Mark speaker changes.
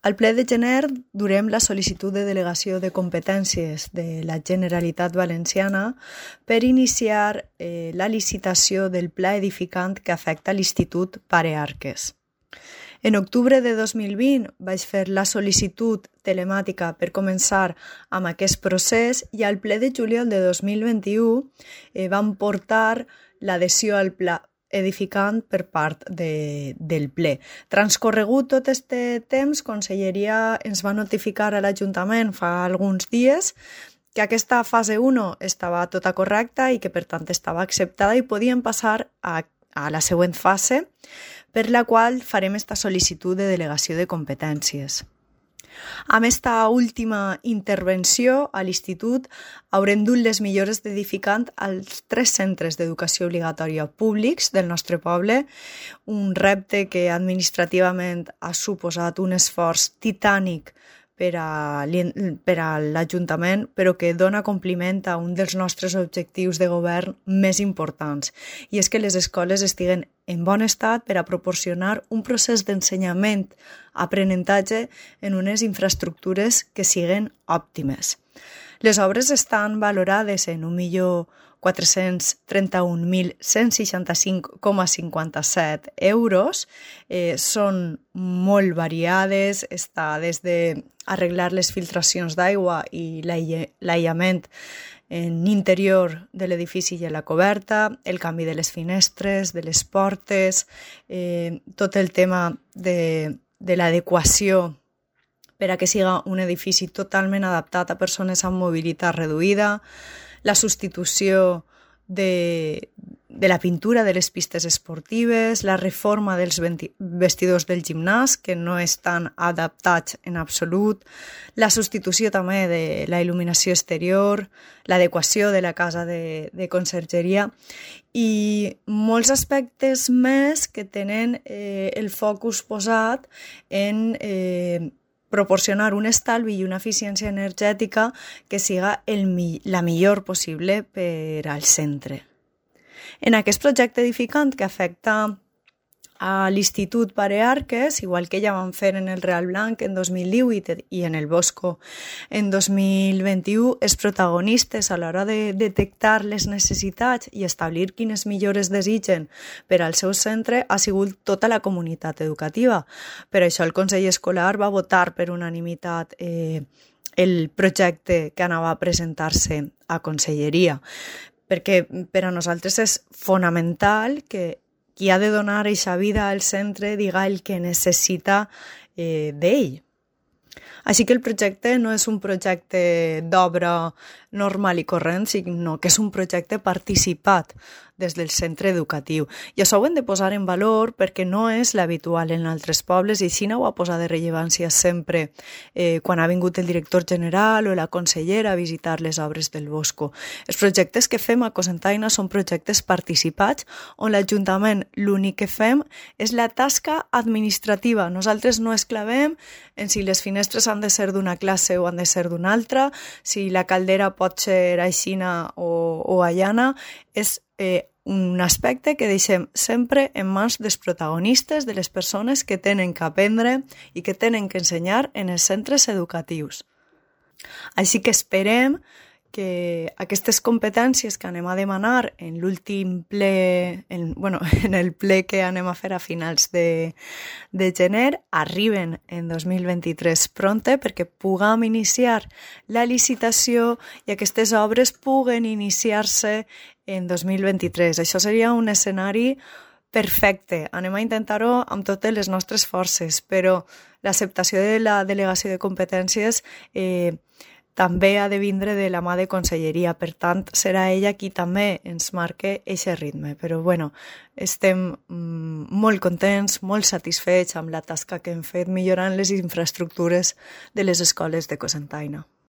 Speaker 1: Al ple de gener durem la sol·licitud de delegació de competències de la Generalitat Valenciana per iniciar la licitació del pla edificant que afecta l'Institut Pare Arques. En octubre de 2020 vaig fer la sol·licitud telemàtica per començar amb aquest procés i al ple de juliol de 2021 vam portar l'adhesió al pla edificant per part del ple. Transcorregut tot aquest temps, Conselleria ens va notificar a l'Ajuntament fa alguns dies que aquesta fase 1 estava tota correcta i que per tant estava acceptada i podíem passar a la següent fase, per la qual farem esta sol·licitud de delegació de competències. Amb esta última intervenció a l'Institut haurem dut les millores d'edificant als 3 centres d'educació obligatòria públics del nostre poble, un repte que administrativament ha suposat un esforç titànic per a l'Ajuntament, però que dona compliment a un dels nostres objectius de govern més importants, i és que les escoles estiguen en bon estat per a proporcionar un procés d'ensenyament-aprenentatge en unes infraestructures que siguen òptimes. Les obres estan valorades en 1.431.165,57 euros. Són molt variades, està des d'arreglar les filtracions d'aigua i l'aïllament en l'interior de l'edifici i a la coberta, el canvi de les finestres, de les portes, tot el tema de l'adequació per a que siga un edifici totalment adaptat a persones amb mobilitat reduïda, la substitució de la pintura de les pistes esportives, la reforma dels vestidors del gimnàs, que no estan adaptats en absolut, la substitució també de la il·luminació exterior, l'adequació de la casa de consergeria i molts aspectes més que tenen el focus posat en proporcionar un estalvi i una eficiència energètica que siga la millor possible per al centre. En aquest projecte edificant que afecta a l'Institut Pare Arques, igual que ja vam fer en el Real Blanc en 2018 i en el Bosco en 2021, els protagonistes a l'hora de detectar les necessitats i establir quines millores desitgen per al seu centre ha sigut tota la comunitat educativa. Per això el Consell Escolar va votar per unanimitat el projecte que anava a presentar-se a Conselleria, perquè per a nosaltres és fonamental que qui ha de donar eixa vida al centre diga el que necessita d'ell. Així que el projecte no és un projecte d'obra normal i corrent, sinó que és un projecte participat des del centre educatiu. I això ho hem de posar en valor perquè no és l'habitual en altres pobles i així ho ha posat de rellevància sempre quan ha vingut el director general o la consellera a visitar les obres del Bosco. Els projectes que fem a Cocentaina són projectes participats on l'Ajuntament l'únic que fem és la tasca administrativa. Nosaltres no esclavem en si les finestres han de ser d'una classe o han de ser d'una altra, si la caldera pot ser aixina o allana, és un aspecte que deixem sempre en mans dels protagonistes, de les persones que tenen que aprendre i que tenen que ensenyar en els centres educatius. Així que esperem que aquestes competències que anem a demanar en l'últim ple, en el ple que anem a fer a finals de gener, arriben en 2023 pronte perquè puguem iniciar la licitació i aquestes obres puguen iniciar-se en 2023. Això seria un escenari perfecte. Anem a intentar-ho amb totes les nostres forces, però l'acceptació de la delegació de competències també ha de vindre de la mà de Conselleria. Per tant, serà ella qui també ens marque aquest ritme. Però estem molt contents, molt satisfets amb la tasca que hem fet millorant les infraestructures de les escoles de Cocentaina.